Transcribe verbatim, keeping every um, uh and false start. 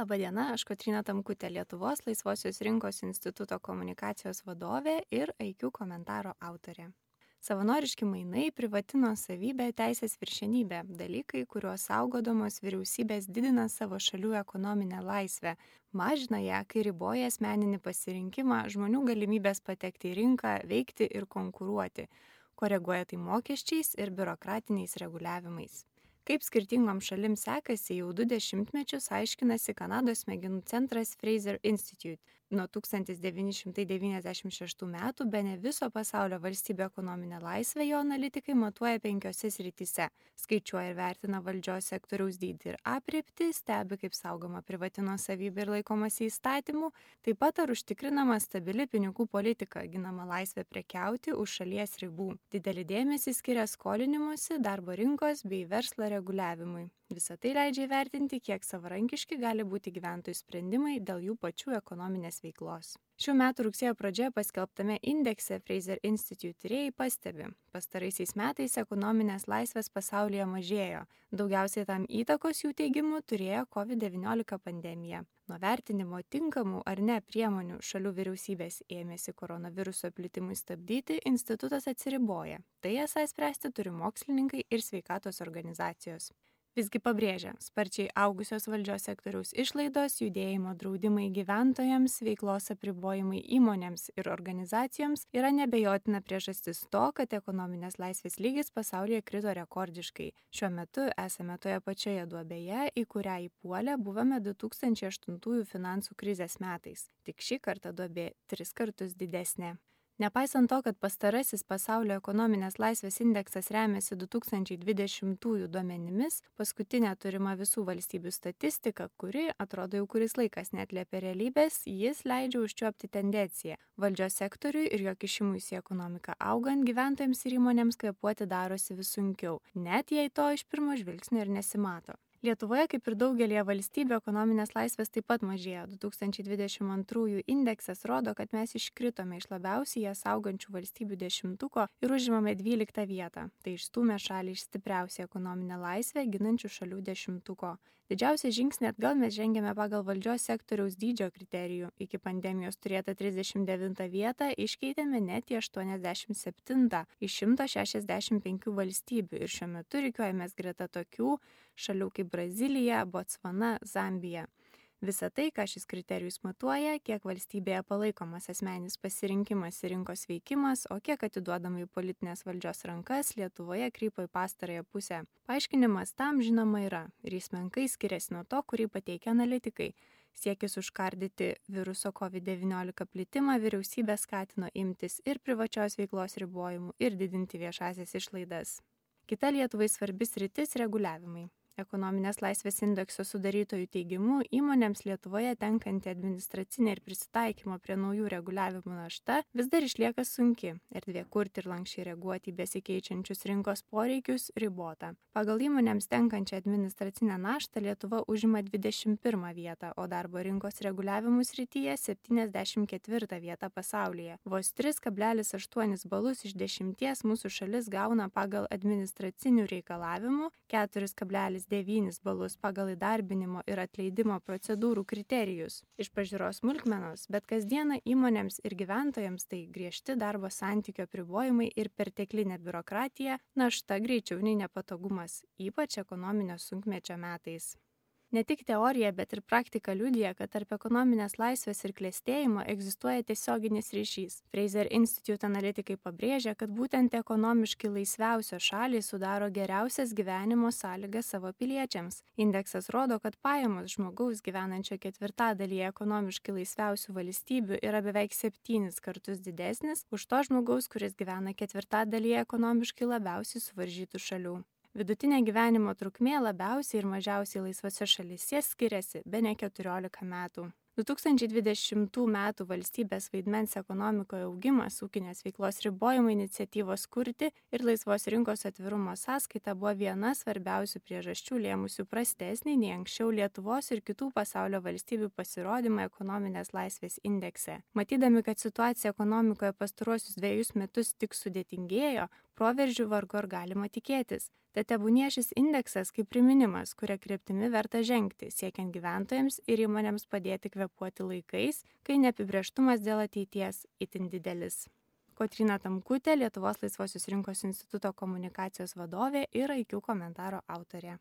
Labadiena, aš Kotryna Tamkutė, Lietuvos Laisvosios rinkos instituto komunikacijos vadovė ir I Q komentaro autorė. Savanoriški mainai, privati nuosavybė, teisės viršenybė – dalykai, kuriuos saugodamos vyriausybės didina savo šalių ekonominę laisvę, mažina ją, kai riboja asmeninį pasirinkimą, žmonių galimybės patekti į rinką, veikti ir konkuruoti, koreguoja tai mokesčiais ir biurokratiniais reguliavimais. Kaip skirtingom šalim sekasi, jau du dešimtmečius aiškinasi Kanados smegenų centras Fraser Institute. Nuo tūkstantis devyni šimtai devyniasdešimt šeštų metų bene viso pasaulio valstybių ekonominę laisvę jo analitikai matuoja penkiose srityse. Skaičiuoja ir vertina valdžios sektoriaus dydį ir aprėptį, stebi, kaip saugoma privati nuosavybė ir laikomasi įstatymų, taip pat ar užtikrinama stabili pinigų politika, ginama laisvė prekiauti už šalies ribų. Didelį dėmesį skiria skolinimuose, darbo rinkos bei verslo reguliavimui. Visą tai leidžia įvertinti, kiek savarankiški gali būti gyventojų sprendimai dėl jų pačių ekonominės veiklos. Šių metų rugsėjo pradžioje paskelbtame indekse Fraser Institute tyrėjai pastebi, pastaraisiais metais ekonominės laisvės pasaulyje mažėjo. Daugiausiai tam įtakos jų teigimu turėjo COVID devyniolika pandemija. Nuo vertinimo tinkamų ar ne priemonių šalių vyriausybės ėmėsi koronaviruso plitimui stabdyti, institutas atsiriboja. Tai esą spręsti turi mokslininkai ir sveikatos organizacijos. Visgi pabrėžia, sparčiai augusios valdžios sektoriaus išlaidos, judėjimo draudimai gyventojams, veiklos apribojimai įmonėms ir organizacijoms yra nebejotina priežastis to, kad ekonominės laisvės lygis pasaulyje krito rekordiškai. Šiuo metu esame toje pačioje duobėje, į kurią įpuolę buvome du tūkstančiai aštuntųjų finansų krizės metais. Tik šį kartą duobė tris kartus didesnė. Nepaisant to, kad pastarasis pasaulio ekonominės laisvės indeksas remiasi du tūkstančiai dvidešimtųjų duomenimis, paskutinė turima visų valstybių statistika, kuri, atrodo jau kuris laikas neatliepia realybės, jis leidžia užčiuopti tendenciją. Valdžios sektoriui ir jo kišimuisi į ekonomiką augant, gyventojams ir įmonėms kvėpuoti darosi vis sunkiau, net jei to iš pirmo žvilgsnio ir nesimato. Lietuvoje, kaip ir daugelie valstybių, ekonominės laisvės taip pat mažėjo. du tūkstančiai dvidešimt antrųjų indeksas rodo, kad mes iškritome iš labiausiai jas augančių valstybių dešimtuko ir užimame dvyliktą vietą. Tai išstūmė šalį iš stipriausiai ekonominę laisvę ginančių šalių dešimtuko. Didžiausią žingsnį atgal mes žengėme pagal valdžios sektoriaus dydžio kriterijų. Iki pandemijos turėtą trisdešimt devintą vietą iškeitėme net į aštuoniasdešimt septintą iš šimto šešiasdešimt penkių valstybių ir šiuo metu rikiuojamės greta tokių šalių kaip Brazilija, Botsvana, Zambija. Visa tai, ką šis kriterijus matuoja, kiek valstybėje palaikomas asmeninis pasirinkimas ir rinkos veikimas, o kiek atiduodama į politinės valdžios rankas, Lietuvoje krypo į pastarąją pusę. Paaiškinimas tam žinoma yra ir jis menkai skiriasi nuo to, kurį pateikia analitikai. Siekis užkardyti viruso COVID devyniolika plitimą vyriausybė skatino imtis ir privačios veiklos ribojimų ir didinti viešasias išlaidas. Kita Lietuvai svarbi sritis – reguliavimai. Ekonominės laisvės indekso sudarytojų teigimu, įmonėms Lietuvoje tenkanti administracinė ir prisitaikymo prie naujų reguliavimų našta vis dar išlieka sunki, erdvė kurti ir lankščiai reaguoti į besikeičiančius rinkos poreikius ribota. Pagal įmonėms tenkančią administracinę naštą Lietuva užima dvidešimt pirmą vietą, o darbo rinkos reguliavimų srityje septyniasdešimt ketvirtą vietą pasaulyje. Vos tris kablelis aštuonis balus iš dešimties mūsų šalis gauna pagal administracinių reikalavimų, keturis kablelis devynis balus pagal įdarbinimo ir atleidimo procedūrų kriterijus. Iš pažiūros smulkmenos, bet kasdieną įmonėms ir gyventojams tai griežti darbo santykio apribojimai ir perteklinė biurokratija, našta greičiau nei nepatogumas, ypač ekonominio sunkmečio metais. Ne tik teorija, bet ir praktika liudija, kad tarp ekonominės laisvės ir klestėjimo egzistuoja tiesioginis ryšys. Fraser Institute analitikai pabrėžia, kad būtent ekonomiškai laisviausios šalys sudaro geriausias gyvenimo sąlygas savo piliečiams. Indeksas rodo, kad pajamos žmogaus gyvenančio ketvirtadalyje ekonomiškai laisviausių valstybių yra beveik septynis kartus didesnis už to žmogaus, kuris gyvena ketvirtadalyje ekonomiškai labiausiai suvaržytų šalių. Vidutinė gyvenimo trukmė labiausiai ir mažiausiai laisvose šalyse skiriasi bene keturiolika metų. du tūkstančiai dvidešimtų metų valstybės vaidmens ekonomikoje augimas, ūkinės veiklos ribojimo iniciatyvos kurti ir laisvos rinkos atvirumo sąskaita buvo viena svarbiausių priežasčių lėmusių prastesnį nei anksčiau Lietuvos ir kitų pasaulio valstybių pasirodymą ekonominės laisvės indekse. Matydami, kad situacija ekonomikoje pastaruosius dviejus metus tik sudėtingėjo, proveržių vargu ar galima tikėtis. Tad tebūnie šis indeksas kaip priminimas, kuria kryptimi verta žengti, siekiant gyventojams ir įmonėms padėti kvėpuoti laikais, kai neapibrėžtumas dėl ateities itin didelis. Kotryna Tamkutė, Lietuvos laisvosios rinkos instituto komunikacijos vadovė ir I Q komentaro autorė.